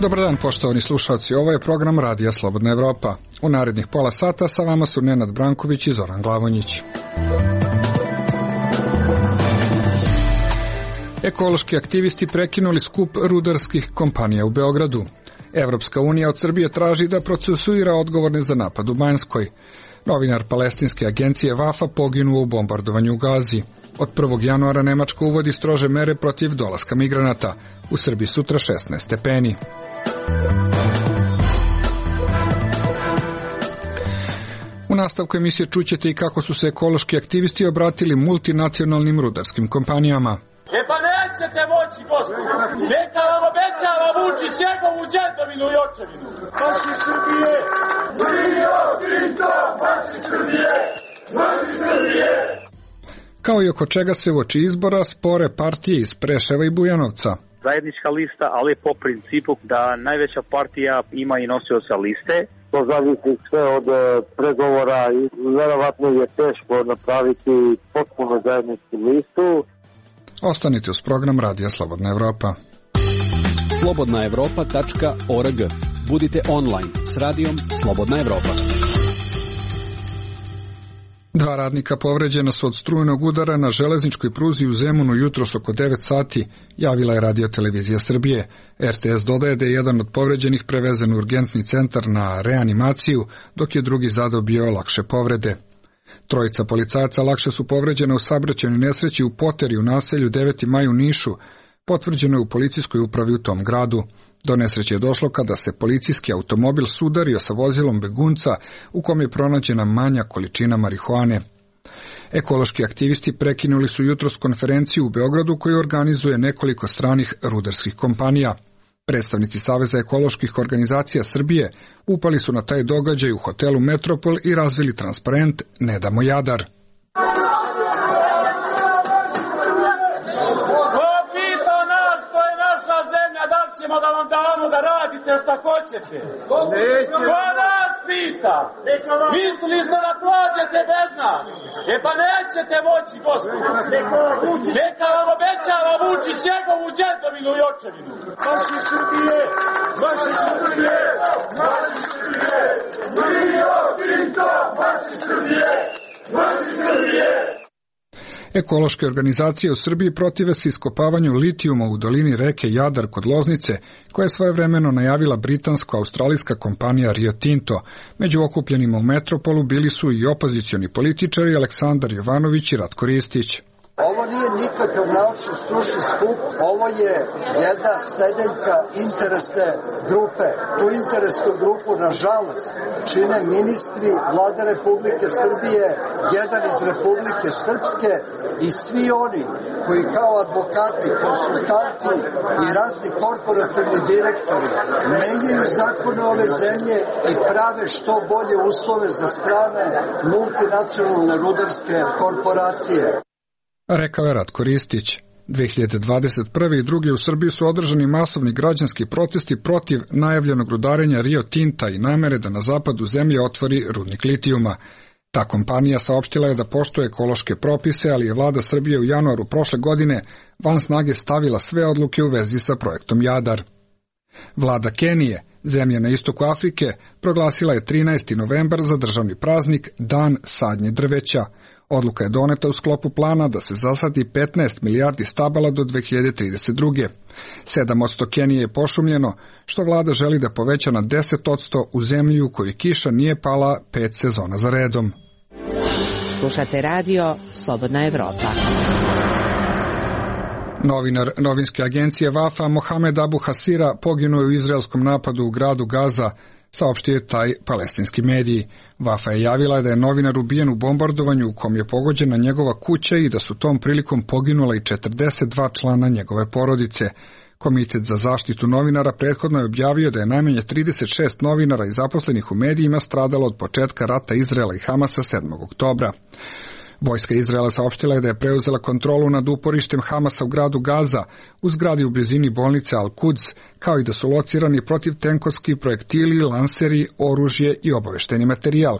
Dobar dan, poštovani slušalci, ovo je program Radija Slobodna Evropa. U narednih pola sata sa vama su Nenad Branković i Zoran Glavonjić. Ekološki aktivisti prekinuli skup rudarskih kompanija u Beogradu. Evropska unija od Srbije traži da procesuira odgovorne za napad u Banjskoj. Novinar palestinske agencije Vafa poginuo u bombardovanju u Gazi. Od 1. januara Nemačka uvodi strože mere protiv dolaska migranata. U Srbiji sutra 16 stepeni. U nastavku emisije čućete i kako su se ekološki aktivisti obratili multinacionalnim rudarskim kompanijama. Pa nećete moći, gospodo. Neka vam obećava Vučić njegovu djedovinu i očevinu. Marši Srbije! Rio Tinto! Marši Srbije! Marši Srbije! Kao i oko čega se uoči izbora spore partije iz Preševa i Bujanovca. Zajednička lista, ali po principu da najveća partija ima i nosioca liste. To zavisi sve od pregovora i verovatno je teško napraviti potpuno zajedničku listu. Ostanite uz program Radija Slobodna Evropa. slobodnaevropa.org. Budite online s radijom Slobodna Evropa. 2 radnika povređena su od strujnog udara na železničkoj pruzi u Zemunu jutros oko 9 sati, javila je Radio-televizija Srbije. RTS dodaje da je jedan od povređenih prevezen u urgentni centar na reanimaciju, dok je drugi zadobio lakše povrede. 3 policajaca lakše su povređene u saobraćajnoj nesreći u Poteri u naselju 9. maj u Nišu, potvrđeno je u policijskoj upravi u tom gradu. Do nesreće je došlo kada se policijski automobil sudario sa vozilom begunca u kom je pronađena manja količina marihuane. Ekološki aktivisti prekinuli su jutros konferenciju u Beogradu koju organizuje nekoliko stranih rudarskih kompanija. Predstavnici Saveza ekoloških organizacija Srbije upali su na taj događaj u hotelu Metropol i razvili transparent Ne damo Jadar. Ćemo da vam damo da radite šta hoćete. Ko nas pita? Mislili ste da prođete bez nas? Pa nećete moći, gospodo. Neka vam obećava Vučić njegovu djedovinu i očevinu. Marši Srbije! Marši Srbije! Marši Srbije! Rio Tinto! Marši Srbije! Marši Srbije! Ekološke organizacije u Srbiji protive se iskopavanju litijuma u dolini reke Jadar kod Loznice, koja je svojevremeno najavila britansko-australijska kompanija Rio Tinto. Među okupljenima u Metropolu bili su i opozicioni političari Aleksandar Jovanović i Ratko Ristić. Ovo nije nikakav naučni stručni skup, ovo je jedna sedeljka interesne grupe. Tu interesnu grupu, nažalost, čine ministri Vlade Republike Srbije, jedan iz Republike Srpske i svi oni koji kao advokati, konsultanti i razni korporativni direktori menjaju zakone ove zemlje i prave što bolje uslove za strane multinacionalne rudarske korporacije. Rekao je Ratko Ristić. 2021. i 2. u Srbiji su održani masovni građanski protesti protiv najavljenog rudarenja Rio Tinta i namere da na zapadu zemlje otvori rudnik litijuma. Ta kompanija saopštila je da poštuje ekološke propise, ali je vlada Srbije u januaru prošle godine van snage stavila sve odluke u vezi sa projektom Jadar. Vlada Kenije, zemlje na istoku Afrike, proglasila je 13. novembar za državni praznik Dan sadnje drveća. Odluka je doneta u sklopu plana da se zasadi 15 milijardi stabala do 2032. 7% Kenije je pošumljeno, što vlada želi da poveća na 10% u zemlji u kojoj kiša nije pala 5 sezona za redom. Slušate radio Slobodna Evropa. Novinar novinske agencije Vafa Mohamed Abu Hasira poginuo je u izraelskom napadu u gradu Gaza, saopštio je taj palestinski mediji. Vafa je javila da je novinar ubijen u bombardovanju u kom je pogođena njegova kuća i da su tom prilikom poginula i 42 člana njegove porodice. Komitet za zaštitu novinara prethodno je objavio da je najmanje 36 novinara i zaposlenih u medijima stradalo od početka rata Izraela i Hamasa 7. oktobra. Vojska Izraela saopštila je da je preuzela kontrolu nad uporištem Hamasa u gradu Gaza, u zgradi u blizini bolnice Al-Quds, kao i da su locirani protivtenkovski projektili, lanseri, oružje i obaveštajni materijal,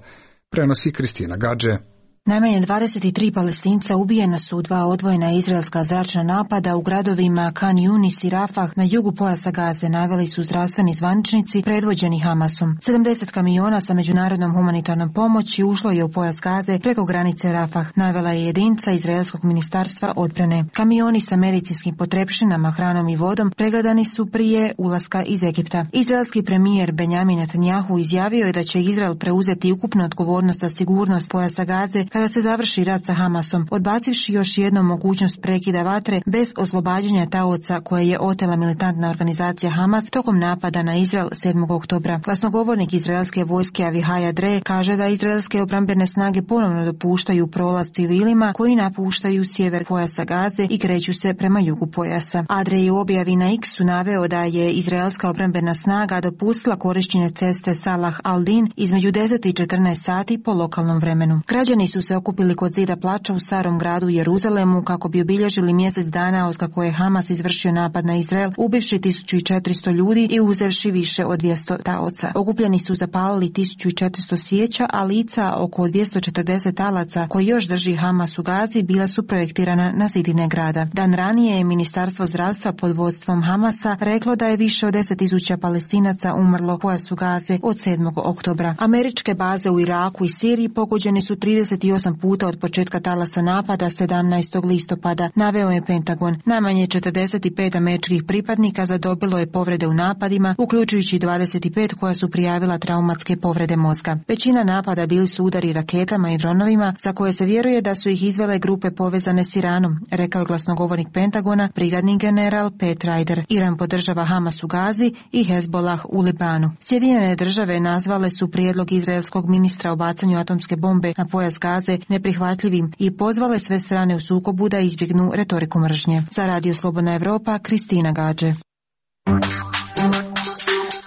prenosi Kristina Gadže. Najmanje 23 Palestinca ubijena su u 2 odvojena izraelska zračna napada u gradovima Khan Yunis i Rafah na jugu pojasa Gaze, naveli su zdravstveni zvaničnici predvođeni Hamasom. 70 kamiona sa međunarodnom humanitarnom pomoći ušlo je u pojas Gaze preko granice Rafah, navela je jedinica Izraelskog ministarstva odbrane. Kamioni sa medicinskim potrepštinama, hranom i vodom pregledani su prije ulaska iz Egipta. Izraelski premijer Benjamin Netanjahu izjavio je da će Izrael preuzeti ukupnu odgovornost za sigurnost pojasa Gaze kada se završi rat sa Hamasom, odbacivši još jednom mogućnost prekida vatre bez oslobađanja taoca koje je otela militantna organizacija Hamas tokom napada na Izrael 7. oktobra. Glasnogovornik izraelske vojske Avihaja Dre kaže da izraelske obrambene snage ponovno dopuštaju prolaz civilima koji napuštaju sjever pojasa Gaze i kreću se prema jugu pojasa. Adre je u objavi na X-u naveo da je izraelska obrambena snaga dopustila korištenje ceste Salah al-Din između 10 i 14 sati po lokalnom vremenu. Građani su se okupili kod zida plača u starom gradu Jeruzalemu kako bi obilježili mjesec dana od kako je Hamas izvršio napad na Izrael, ubivši 1400 ljudi i uzevši više od 200 taoca. Okupljeni su zapalili 1400 svijeća, a lica oko 240 talaca koji još drži Hamas u Gazi bila su projektirana na zidine grada. Dan ranije je Ministarstvo zdravstva pod vodstvom Hamasa reklo da je više od 10.000 Palestinaca umrlo u pojasu Gaze od 7. oktobra. Američke baze u Iraku i Siriji pogođene su 38 puta od početka talasa napada 17. listopada, naveo je Pentagon. Najmanje 45 američkih pripadnika zadobilo je povrede u napadima, uključujući 25 koja su prijavila traumatske povrede mozga. Većina napada bili su udari raketama i dronovima za koje se vjeruje da su ih izvele grupe povezane s Iranom, rekao je glasnogovornik Pentagona, brigadni general Pat Ryder. Iran podržava Hamas u Gazi i Hezbollah u Libanu. Sjedinjene države nazvale su prijedlog izraelskog ministra o bacanju atomske bombe na pojas Gaze neprihvatljivim i pozvale sve strane u sukobu da izbjegnu retoriku mržnje. Za Radio Slobodna Evropa, Kristina Gađe.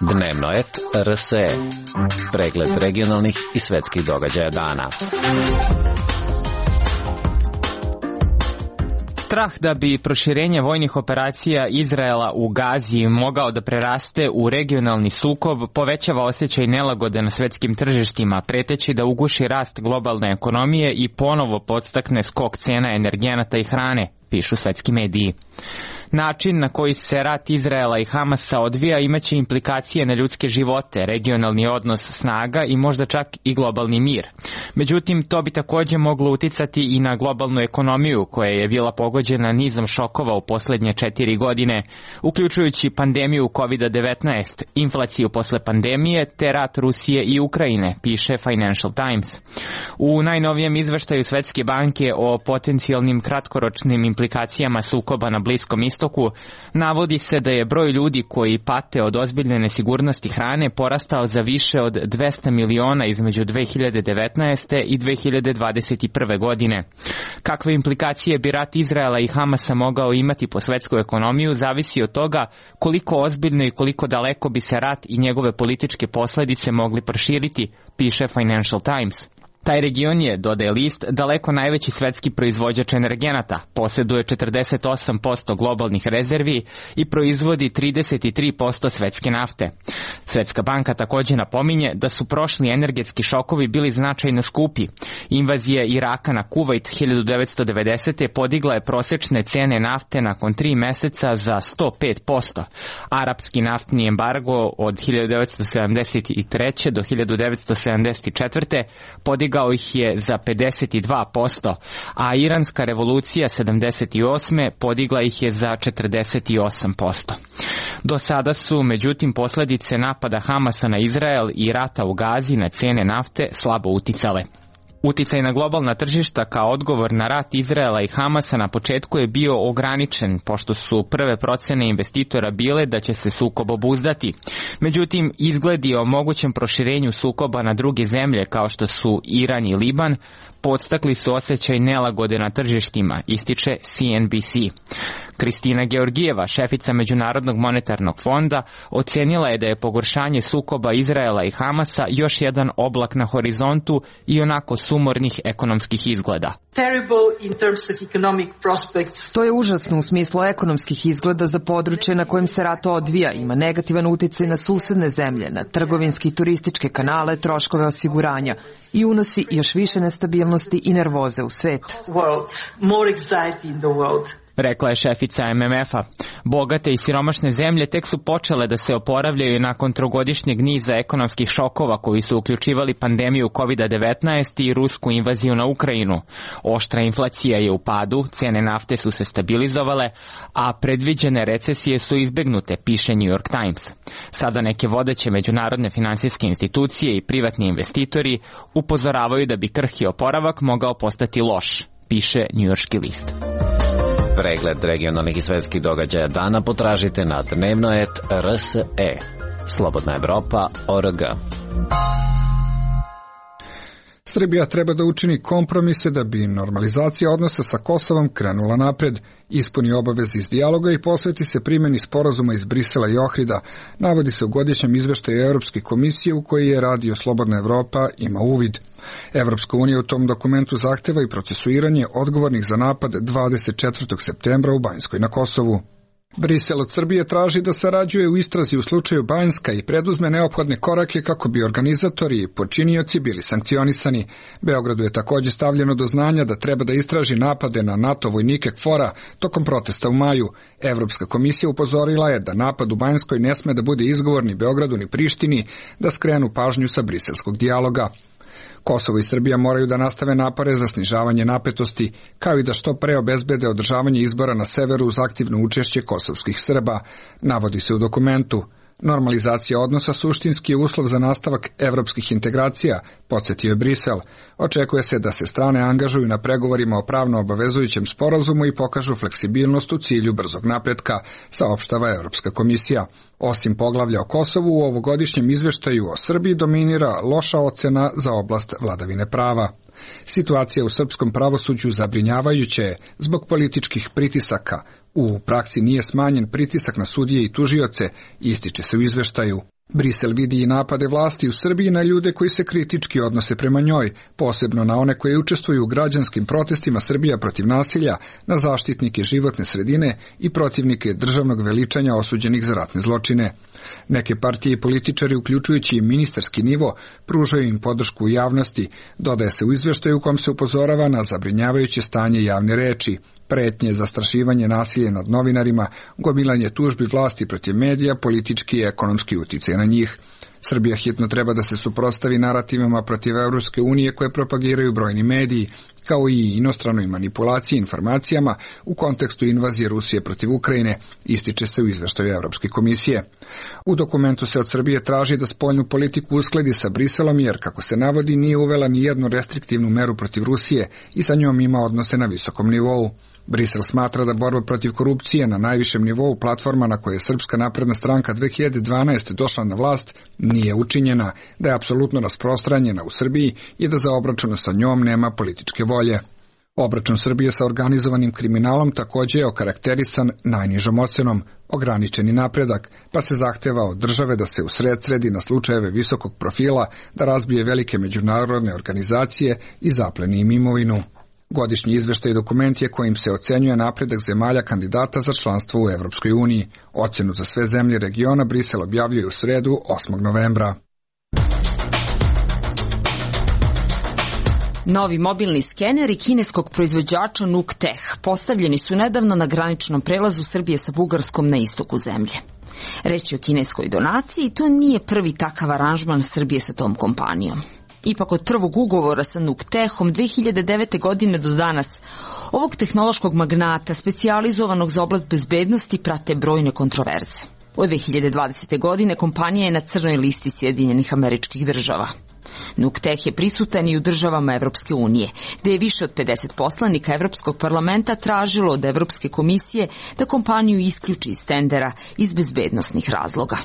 Dnevno et RSE. Pregled regionalnih i svetskih događaja dana. Strah da bi proširenje vojnih operacija Izraela u Gazi mogao da preraste u regionalni sukob povećava osjećaj nelagode na svetskim tržištima, preteći da uguši rast globalne ekonomije i ponovo podstakne skok cena energenata i hrane, pišu svetski mediji. Način na koji se rat Izraela i Hamasa odvija imaće implikacije na ljudske živote, regionalni odnos snaga i možda čak i globalni mir. Međutim, to bi također moglo uticati i na globalnu ekonomiju koja je bila pogođena nizom šokova u posljednje 4 godine, uključujući pandemiju COVID-19, inflaciju posle pandemije te rat Rusije i Ukrajine, piše Financial Times. U najnovijem izveštaju Svetske banke o potencijalnim kratkoročnim implikacijama sukoba na Bliskom istoku navodi se da je broj ljudi koji pate od ozbiljne nesigurnosti hrane porastao za više od 200 miliona između 2019. i 2021. godine. Kakve implikacije bi rat Izraela i Hamasa mogao imati po svetsku ekonomiju zavisi od toga koliko ozbiljno i koliko daleko bi se rat i njegove političke posljedice mogli proširiti, piše Financial Times. Taj region je, dodaje list, daleko najveći svetski proizvođač energenata, posjeduje 48% globalnih rezervi i proizvodi 33% svetske nafte. Svetska banka također napominje da su prošli energetski šokovi bili značajno skupi. Invazija Iraka na Kuvajt 1990. podigla je prosječne cene nafte nakon 3 mjeseca za 105%. Arapski naftni embargo od 1973. do 1974. podigao ih je za 52%, a iranska revolucija 78. podigla ih je za 48%. Do sada su, međutim, posljedice napada Hamasa na Izrael i rata u Gazi na cijene nafte slabo uticale. Uticaj na globalna tržišta kao odgovor na rat Izraela i Hamasa na početku je bio ograničen, pošto su prve procene investitora bile da će se sukob obuzdati. Međutim, izgledi o mogućem proširenju sukoba na druge zemlje kao što su Iran i Liban podstakli su osjećaj nelagode na tržištima, ističe CNBC. Kristina Georgijeva, šefica Međunarodnog monetarnog fonda, ocenila je da je pogoršanje sukoba Izraela i Hamasa još jedan oblak na horizontu i onako sumornih ekonomskih izgleda. To je užasno u smislu ekonomskih izgleda za područje na kojem se rat odvija, ima negativan uticaj na susedne zemlje, na trgovinske i turističke kanale, troškove osiguranja i unosi još više nestabilnosti i nervoze u svet. Rekla je šefica MMF-a. Bogate i siromašne zemlje tek su počele da se oporavljaju nakon trogodišnjeg niza ekonomskih šokova koji su uključivali pandemiju COVID-19 i rusku invaziju na Ukrajinu. Oštra inflacija je u padu, cene nafte su se stabilizovale, a predviđene recesije su izbegnute, piše New York Times. Sada neke vodeće međunarodne finansijske institucije i privatni investitori upozoravaju da bi krhki oporavak mogao postati loš, piše njujorški list. Pregled regionalnih i svetskih događaja dana potražite na dnevnoet.rse. Slobodna Evropa.org. Srbija treba da učini kompromise da bi normalizacija odnosa sa Kosovom krenula napred, ispuni obaveze iz dijaloga i posveti se primjeni sporazuma iz Brisela i Ohrida, navodi se u godišnjem izveštaju Evropske komisije u koji je Radio Slobodna Evropa ima uvid. Evropska unija u tom dokumentu zahteva i procesuiranje odgovornih za napad 24. septembra u Banjskoj na Kosovu. Brisel od Srbije traži da sarađuje u istrazi u slučaju Banjska i preduzme neophodne korake kako bi organizatori i počinioci bili sankcionisani. Beogradu je također stavljeno do znanja da treba da istraži napade na NATO vojnike KFOR-a tokom protesta u maju. Evropska komisija upozorila je da napad u Banjskoj ne sme da bude izgovor ni Beogradu ni Prištini da skrenu pažnju sa briselskog dijaloga. Kosovo i Srbija moraju da nastave napore za snižavanje napetosti, kao i da što pre obezbede održavanje izbora na severu uz aktivno učešće kosovskih Srba, navodi se u dokumentu. Normalizacija odnosa suštinski je uslov za nastavak evropskih integracija, podsjetio je Brisel. Očekuje se da se strane angažuju na pregovorima o pravno obavezujućem sporazumu i pokažu fleksibilnost u cilju brzog napretka, saopštava Evropska komisija. Osim poglavlja o Kosovu, u ovogodišnjem izveštaju o Srbiji dominira loša ocena za oblast vladavine prava. Situacija u srpskom pravosuđu zabrinjavajuća je zbog političkih pritisaka. U praksi nije smanjen pritisak na sudije i tužioce, ističe se u izveštaju. Brisel vidi i napade vlasti u Srbiji na ljude koji se kritički odnose prema njoj, posebno na one koji učestvuju u građanskim protestima Srbija protiv nasilja, na zaštitnike životne sredine i protivnike državnog veličanja osuđenih za ratne zločine. Neke partije i političari, uključujući i ministarski nivo, pružaju im podršku u javnosti, dodaje se u izveštaju u kom se upozorava na zabrinjavajuće stanje javne reči, pretnje, zastrašivanje, nasilje nad novinarima, gomilanje tužbi vlasti protiv medija, politički i ekonomski uticaj na njih. Srbija hitno treba da se suprotstavi narativima protiv Evropske unije koje propagiraju brojni mediji, kao i inostranoj manipulaciji informacijama u kontekstu invazije Rusije protiv Ukrajine, ističe se u izveštaju Evropske komisije. U dokumentu se od Srbije traži da spoljnu politiku uskladi sa Briselom jer, kako se navodi, nije uvela ni jednu restriktivnu meru protiv Rusije i sa njom ima odnose na visokom nivou. Brisel smatra da borba protiv korupcije na najvišem nivou, platforma na kojoj je Srpska napredna stranka 2012. došla na vlast, nije učinjena, da je apsolutno rasprostranjena u Srbiji i da za obračun sa njom nema političke volje. Obračun Srbije sa organizovanim kriminalom također je okarakterisan najnižom ocenom, ograničeni napredak, pa se zahteva od države da se usredsredi na slučajeve visokog profila, da razbije velike međunarodne organizacije i zapleni im imovinu. Godišnji izveštaj dokument je kojim se ocenjuje napredak zemalja kandidata za članstvo u Evropskoj uniji. Ocenu za sve zemlje regiona Brisel objavljuje u sredu 8. novembra. Novi mobilni skeneri kineskog proizvođača Nukteh postavljeni su nedavno na graničnom prelazu Srbije sa Bugarskom na istoku zemlje. Reč je o kineskoj donaciji i to nije prvi takav aranžman Srbije sa tom kompanijom. Ipak od prvog ugovora sa Nuktehom 2009. godine do danas ovog tehnološkog magnata specijalizovanog za oblast bezbednosti prate brojne kontroverze. Od 2020. godine kompanija je na crnoj listi Sjedinjenih Američkih Država. Nukteh je prisutan i u državama Evropske unije, gde je više od 50 poslanika Evropskog parlamenta tražilo od Evropske komisije da kompaniju isključi iz tendera iz bezbednosnih razloga.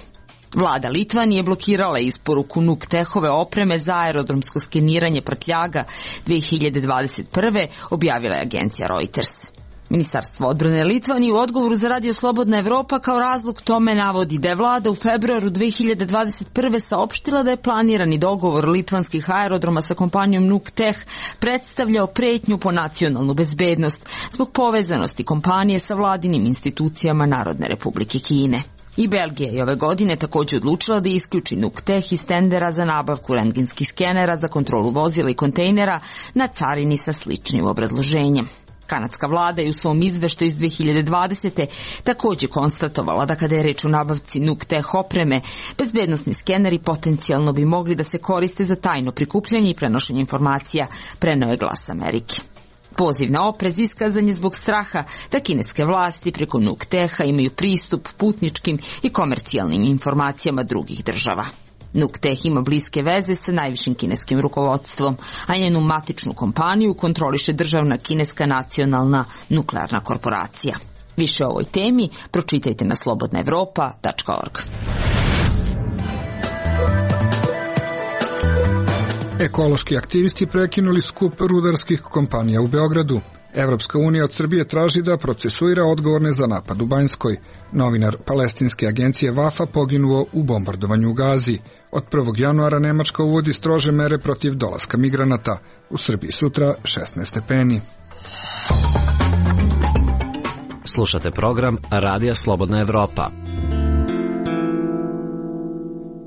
Vlada Litvanije blokirala isporuku Nuktehove opreme za aerodromsko skeniranje prtljaga 2021. objavila je agencija Reuters. Ministarstvo odbrane Litvanije u odgovoru za Radio Slobodna Evropa kao razlog tome navodi da je vlada u februaru 2021. saopštila da je planirani dogovor litvanskih aerodroma sa kompanijom Nukteh predstavljao pretnju po nacionalnu bezbednost zbog povezanosti kompanije sa vladinim institucijama Narodne Republike Kine. I Belgija je ove godine također odlučila da isključi Nukteh iz tendera za nabavku rentgenskih skenera za kontrolu vozila i kontejnera na carini sa sličnim obrazloženjem. Kanadska vlada je u svom izveštaju iz 2020. također konstatovala da kada je reč o nabavci Nukteh opreme, bezbednosni skeneri potencijalno bi mogli da se koriste za tajno prikupljanje i prenošenje informacija, preneo je Glas Amerike. Poziv na oprez iskazan je zbog straha da kineske vlasti preko Nukteha imaju pristup putničkim i komercijalnim informacijama drugih država. Nukteh ima bliske veze sa najvišim kineskim rukovodstvom, a njenu matičnu kompaniju kontroliše državna kineska nacionalna nuklearna korporacija. Više o ovoj temi pročitajte na slobodnaevropa.org. Ekološki aktivisti prekinuli skup rudarskih kompanija u Beogradu. Evropska unija od Srbije traži da procesuira odgovorne za napad u Banjskoj. Novinar palestinske agencije Vafa poginuo u bombardovanju u Gazi. Od 1. januara Nemačka uvodi strože mere protiv dolaska migranata. U Srbiji sutra 16 stepeni. Slušate program Radija Slobodna Evropa.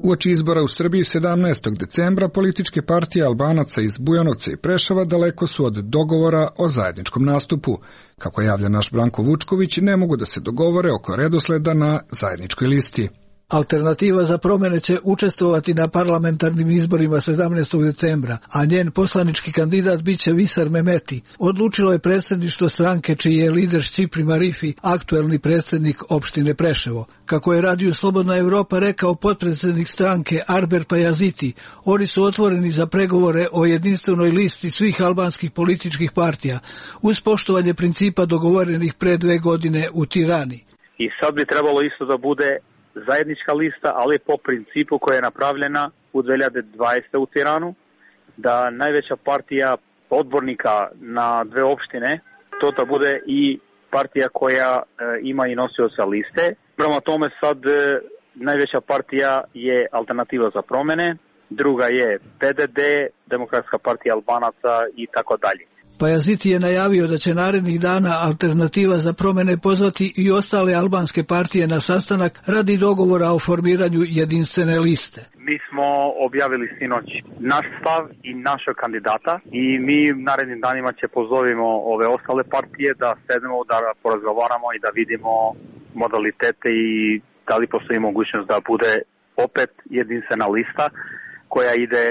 Uoči izbora u Srbiji 17. decembra političke partije Albanaca iz Bujanovca i Preševa daleko su od dogovora o zajedničkom nastupu. Kako javlja naš Branko Vučković, ne mogu da se dogovore oko redosleda na zajedničkoj listi. Alternativa za promjene će učestvovati na parlamentarnim izborima 17. decembra, a njen poslanički kandidat biće Visar Mehmeti. Odlučilo je predsjedništvo stranke čiji je lider Šćipri Marifi, aktuelni predsjednik opštine Preševo. Kako je Radio Slobodna Evropa rekao potpredsjednik stranke Arber Pajaziti, oni su otvoreni za pregovore o jedinstvenoj listi svih albanskih političkih partija, uz poštovanje principa dogovorenih pre 2 godine u Tirani. I sad bi trebalo isto da bude zajednička lista, ali po principu koja je napravljena u 2020. u Tiranu, da najveća partija odbornika na 2 opštine, to da bude i partija koja ima i nosioca liste. Prema tome sad najveća partija je Alternativa za promene, druga je PDD, Demokratska partija Albanaca i tako dalje. Pajaziti je najavio da će narednih dana Alternativa za promene pozvati i ostale albanske partije na sastanak radi dogovora o formiranju jedinstvene liste. Mi smo objavili sinoć naš stav i našeg kandidata i mi narednim danima će pozovimo ove ostale partije da sedemo, da porazgovaramo i da vidimo modalitete i da li postoji mogućnost da bude opet jedinstvena lista koja ide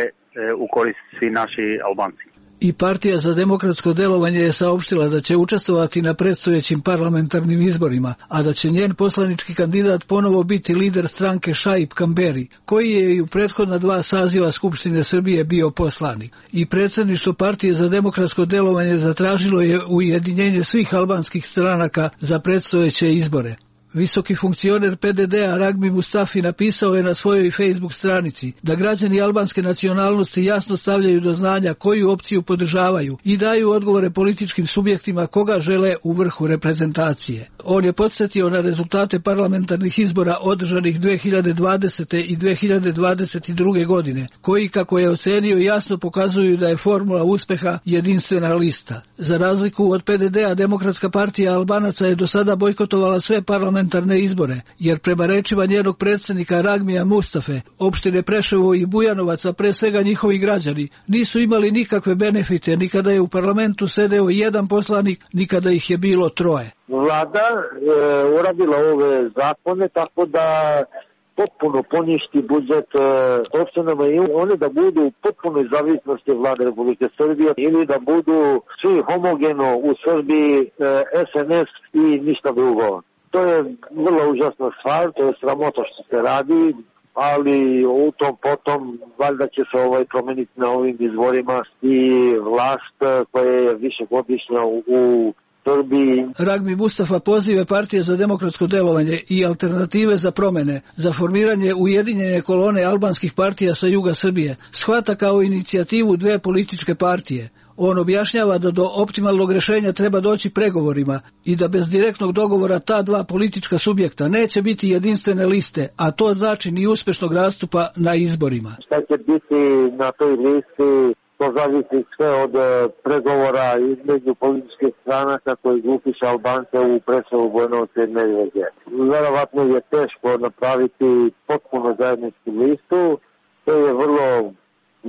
u korist svi naši Albanci. I Partija za demokratsko delovanje je saopštila da će učestvovati na predstojećim parlamentarnim izborima, a da će njen poslanički kandidat ponovo biti lider stranke Šaip Kamberi, koji je i u prethodna 2 saziva Skupštine Srbije bio poslanik. I predsjedništvo Partije za demokratsko delovanje zatražilo je ujedinjenje svih albanskih stranaka za predstojeće izbore. Visoki funkcioner PDD-a Ragmi Mustafi napisao je na svojoj Facebook stranici da građani albanske nacionalnosti jasno stavljaju do znanja koju opciju podržavaju i daju odgovore političkim subjektima koga žele u vrhu reprezentacije. On je podsjetio na rezultate parlamentarnih izbora održanih 2020. i 2022. godine, koji, kako je ocenio, jasno pokazuju da je formula uspeha jedinstvena lista. Za razliku od PDD-a, Demokratska partija Albanaca je do sada bojkotovala sve parlamentarne izbore, jer prema rečima njenog predsjednika Ragmija Mustafe, opštine Preševo i Bujanovac, a pre svega njihovi građani, nisu imali nikakve benefite, ni kada je u parlamentu sedeo 1 poslanik, ni kada ih je bilo 3. Vlada uradila ove zakone tako da potpuno poništi budžet opštinama i one da budu u potpunoj zavisnosti Vlade Republike Srbije ili da budu svi homogeno u Srbiji SNS i ništa drugo. To je vrlo užasna stvar, to je sramota što se radi, ali u tom potom valjda će se promeniti na ovim izborima i vlast koja je višegodišnja u Srbiji. Ragmi Mustafa pozive Partije za demokratsko delovanje i Alternative za promene za formiranje ujedinjene kolone albanskih partija sa juga Srbije shvata kao inicijativu 2 političke partije. On objašnjava da do optimalnog rješenja treba doći pregovorima i da bez direktnog dogovora ta dva politička subjekta neće biti jedinstvene liste, a to znači ni uspešnog nastupa na izborima. Šta će biti na toj listi, to zavisi sve od pregovora između političkih stranaka koji grupiše Albance u Preševu, Bujanovcu i Medveđe. Verovatno je teško napraviti potpuno zajedničku listu, to je vrlo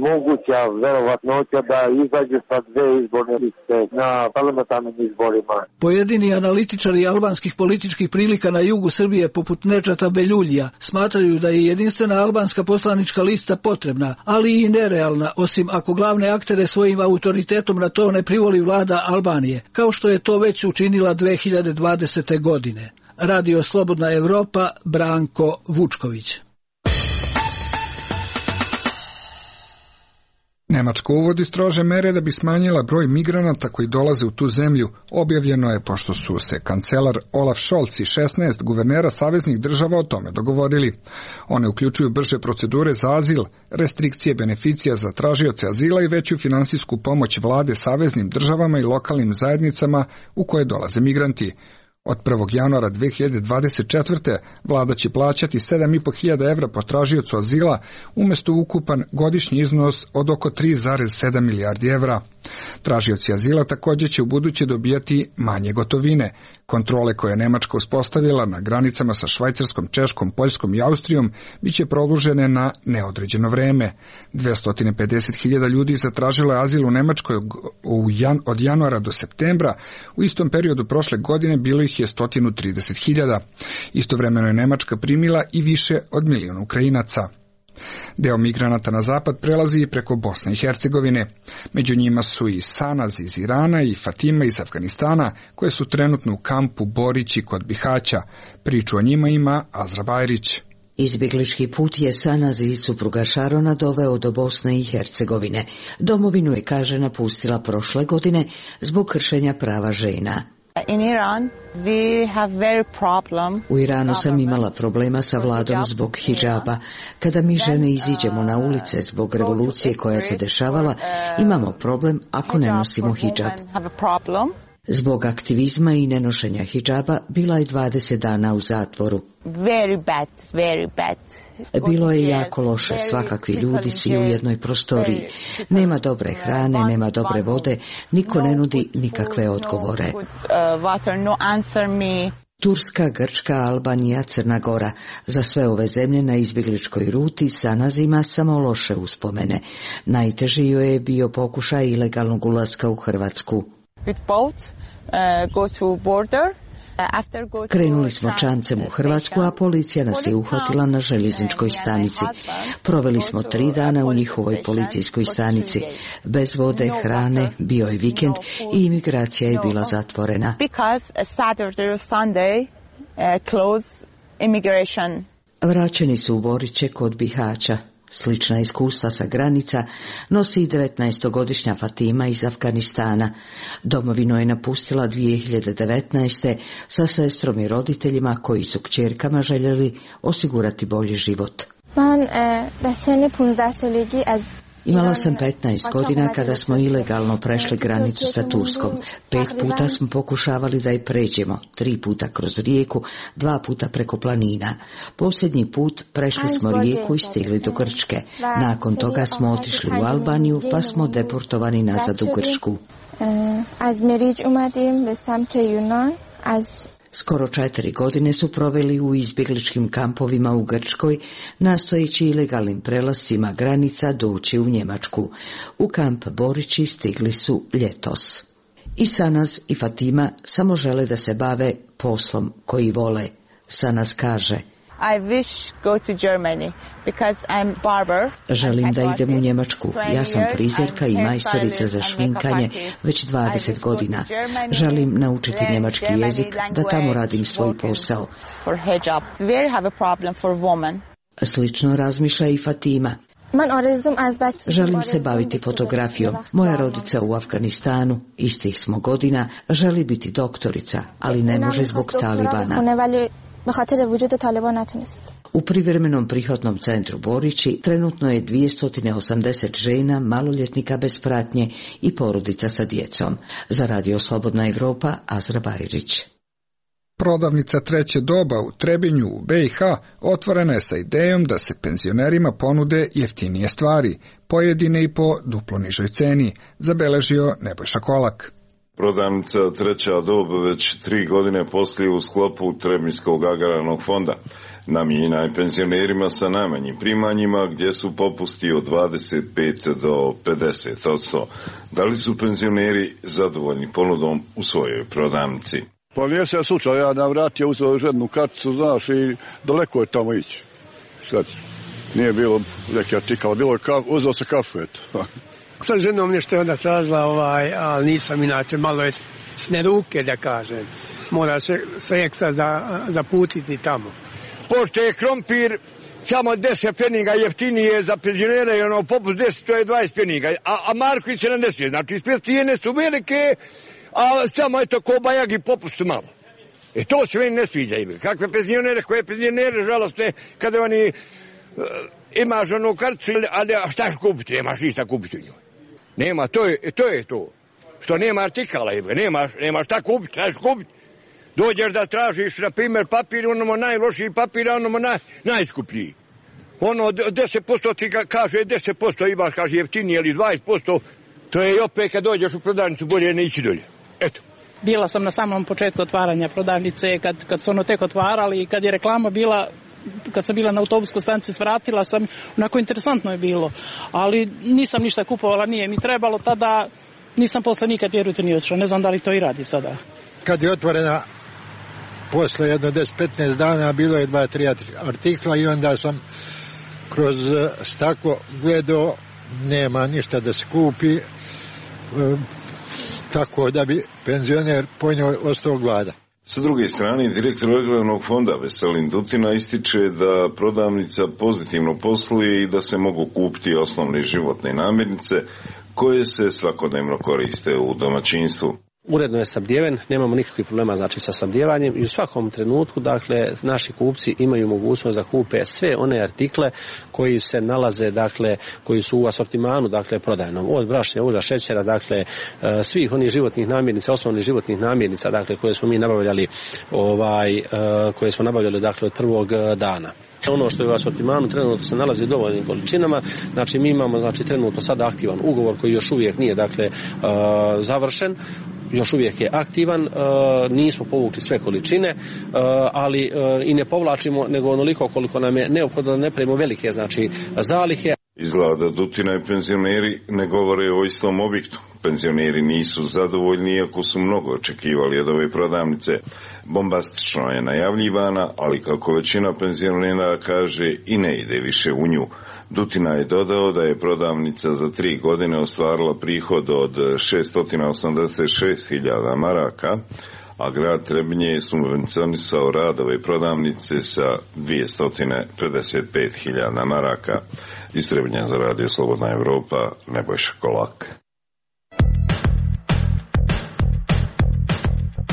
moguća verovatnoća da izađe sa dve izborne liste na parlamentarnim izborima. Pojedini analitičari albanskih političkih prilika na jugu Srbije poput Nedžata Beljuljija smatraju da je jedinstvena albanska poslanička lista potrebna, ali i nerealna, osim ako glavne aktere svojim autoritetom na to ne privoli vlada Albanije, kao što je to već učinila 2020. godine. Radio Slobodna Evropa, Branko Vučković. Nemačka uvodi strože mere da bi smanjila broj migranata koji dolaze u tu zemlju. Objavljeno je pošto su se kancelar Olaf Scholz i 16 guvernera saveznih država o tome dogovorili. One uključuju brže procedure za azil, restrikcije beneficija za tražioce azila i veću finansijsku pomoć vlade saveznim državama i lokalnim zajednicama u koje dolaze migranti. Od 1. januara 2024. vlada će plaćati 7.500 evra po tražiocu azila umjesto ukupan godišnji iznos od oko 3,7 milijardi evra. Tražioci azila također će ubuduće dobijati manje gotovine. Kontrole koje je Nemačka uspostavila na granicama sa Švajcarskom, Češkom, Poljskom i Austrijom biće produžene na neodređeno vreme. 250.000 ljudi zatražilo je azil u Nemačkoj od januara do septembra. U istom periodu prošle godine bilo ih je 130.000. Istovremeno je Nemačka primila i više od 1 milion Ukrajinaca. Deo migranata na zapad prelazi i preko Bosne i Hercegovine. Među njima su i Sanaz iz Irana i Fatima iz Afganistana, koje su trenutno u kampu Borići kod Bihaća. Priču o njima ima Azra Bajrić. Izbjeglički put je Sanaz i supruga Šarona doveo do Bosne i Hercegovine. Domovinu je, kaže, napustila prošle godine zbog kršenja prava žena. U Iranu sam imala problema sa vladom zbog hidžaba. Kada mi žene iziđemo na ulice zbog revolucije koja se dešavala, imamo problem ako ne nosimo hidžab. Zbog aktivizma i nenošenja hidžaba bila je 20 dana u zatvoru. Bilo je jako loše, svakakvi ljudi, svi u jednoj prostoriji. Nema dobre hrane, nema dobre vode, niko ne nudi nikakve odgovore. Turska, Grčka, Albanija, Crna Gora. Za sve ove zemlje na izbjegličkoj ruti Sanaz ima samo loše uspomene. Najteži joj je bio pokušaj ilegalnog ulaska u Hrvatsku. Krenuli smo čamcem u Hrvatsku, a policija nas je uhvatila na željezničkoj stanici. Proveli smo 3 dana u njihovoj policijskoj stanici. Bez vode, hrane, bio je vikend i imigracija je bila zatvorena. Vraćeni su u Boriće kod Bihaća. Slična iskustva sa granica nosi i 19-godišnja Fatima iz Afganistana. Domovinu je napustila 2019. sa sestrom i roditeljima koji su kćerkama željeli osigurati bolji život. Imala sam 15 godina kada smo ilegalno prešli granicu sa Turskom. 5 puta smo pokušavali da je pređemo, 3 puta kroz rijeku, 2 puta preko planina. Posljednji put prešli smo rijeku i stigli do Grčke. Nakon toga smo otišli u Albaniju, pa smo deportovani nazad u Grčku. Skoro 4 godine su proveli u izbjegličkim kampovima u Grčkoj, nastojeći ilegalnim prelascima granica doći u Njemačku. U kamp Borići stigli su ljetos. I Sanaz i Fatima samo žele da se bave poslom koji vole. Sanaz kaže: želim da idem u Njemačku. Ja sam frizerka i majstorica za šminkanje već 20 godina. Želim naučiti njemački jezik, da tamo radim svoj posao. Slično razmišlja i Fatima. Želim se baviti fotografijom. Moja rodica u Afganistanu, istih smo godina, želi biti doktorica, ali ne može zbog Talibana. U privremenom prihvatnom centru Borići trenutno je 280 žena, maloljetnika bez pratnje i porodica sa djecom. Za Radio Slobodna Evropa, Azra Baririć. Prodavnica Treće doba u Trebinju u BiH otvorena je sa idejom da se penzionerima ponude jeftinije stvari, pojedine i po duplo nižoj ceni, zabeležio Nebojša Kolak. Prodavnica Treća doba već 3 godine poslije u sklopu Trebinjskog agrarnog fonda. Namijenjena je penzionerima sa najmanjim primanjima gdje su popusti od 25 do 50%. Da li su penzioneri zadovoljni ponudom u svojoj prodavnici? Pa nije se slučaj, ja navratio uzeo jednu karticu, znaš, i daleko je tamo ići. Sad, nije bilo neki artikala, bilo je uzeo se kafu, eto. Sa ženom nešto je onda tražila, ali nisam inače, malo je sne ruke, da kažem. Mora se ekstra zaputiti tamo. Pošto je krompir samo 10 pfeniga jeftinije za penzionere i ono popust 10, to je 20 pfeniga, a marku i 70, znači sve cijene su velike, a samo eto ko bajag i popust malo. To se meni ne sviđa. Kakve penzionere, koje penzionere žalostne, kada oni imaš onu karticu, a šta ćeš kupiti, nemaš ništa kupiti u njoj. Nema, to je to. Što nema artikala, nema šta kupiti, šta ćeš kupiti. Dođeš da tražiš, na primjer, papir, onamo najlošiji papir, a onamo najskuplji. Ono 10% ti kaže 10% imaš, kaže jeftinije ili 20%, to je i opet kad dođeš u prodavnicu bolje ne ići dolje. Eto. Bila sam na samom početku otvaranja prodavnice, kad su ono tek otvarali i kad je reklama bila, kad sam bila na autobuskoj stanici, svratila sam, onako interesantno je bilo, ali nisam ništa kupovala, nije mi trebalo tada, nisam posle nikad, vjerujte, ni otišla, ne znam da li to i radi sada. Kad je otvorena, posle jedno 10-15 dana, bilo je 2-3 artikla i onda sam kroz staklo gledao, nema ništa da se kupi, tako da bi penzioner po njoj ostao gladan. Sa druge strane, direktor agrarnog fonda Veselin Dutina ističe da prodavnica pozitivno posluje i da se mogu kupiti osnovne životne namirnice koje se svakodnevno koriste u domaćinstvu. Uredno je snabdijeven, nemamo nikakvih problema znači sa snabdijevanjem i u svakom trenutku dakle naši kupci imaju mogućnost da kupe sve one artikle koji se nalaze dakle koji su u asortimanu dakle prodajnom, od brašna, ulja, šećera, dakle svih onih životnih namirnica, osnovnih životnih namirnica dakle koje smo mi nabavljali koje smo nabavljali dakle od prvog dana. Ono što je u asortimanu trenutno se nalazi u dovoljnim količinama, znači mi imamo znači trenutno sada aktivan ugovor koji još uvijek nije dakle završen, još uvijek je aktivan, nismo povukli sve količine, ali i ne povlačimo nego onoliko koliko nam je neophodno da ne pravimo velike znači zalihe. Izgleda da Dutina i penzioneri ne govore o istom objektu. Penzioneri nisu zadovoljni iako su mnogo očekivali od ove prodavnice. Bombastično je najavljivana, ali kako većina penzionera kaže i ne ide više u nju. Dutina je dodao da je prodavnica za 3 godine ostvarila prihod od 686.000 maraka, a grad Trebinje je subvencionisao rad ove prodavnice sa 255.000 maraka. Iz Trebinja za Radio Slobodna Evropa, Nebojša Kolak.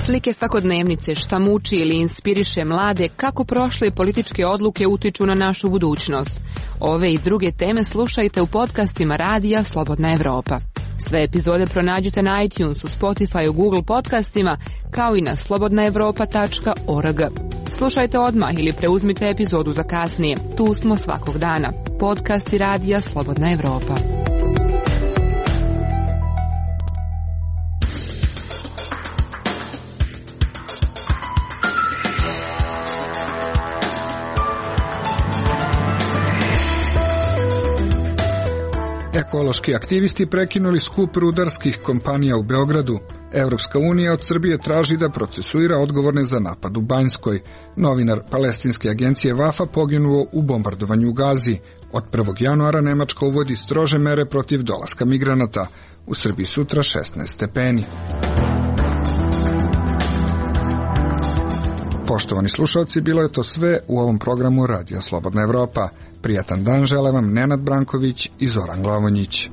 Slike svakodnevnice, šta muči ili inspiriše mlade, kako prošle političke odluke utiču na našu budućnost. Ove i druge teme slušajte u podcastima Radija Slobodna Evropa. Sve epizode pronađite na iTunesu, Spotifyu, Google podcastima, kao i na slobodnaevropa.org. Slušajte odmah ili preuzmite epizodu za kasnije. Tu smo svakog dana. Podcasti Radija Slobodna Evropa. Ekološki aktivisti prekinuli skup rudarskih kompanija u Beogradu. Evropska unija od Srbije traži da procesuira odgovorne za napad u Banjskoj. Novinar palestinske agencije Vafa poginuo u bombardovanju u Gazi. Od 1. januara Nemačka uvodi strože mere protiv dolaska migranata. U Srbiji sutra 16 stepeni. Poštovani slušalci, bilo je to sve u ovom programu Radija Slobodna Evropa. Prijatan dan žele vam Nenad Branković i Zoran Glavonjić.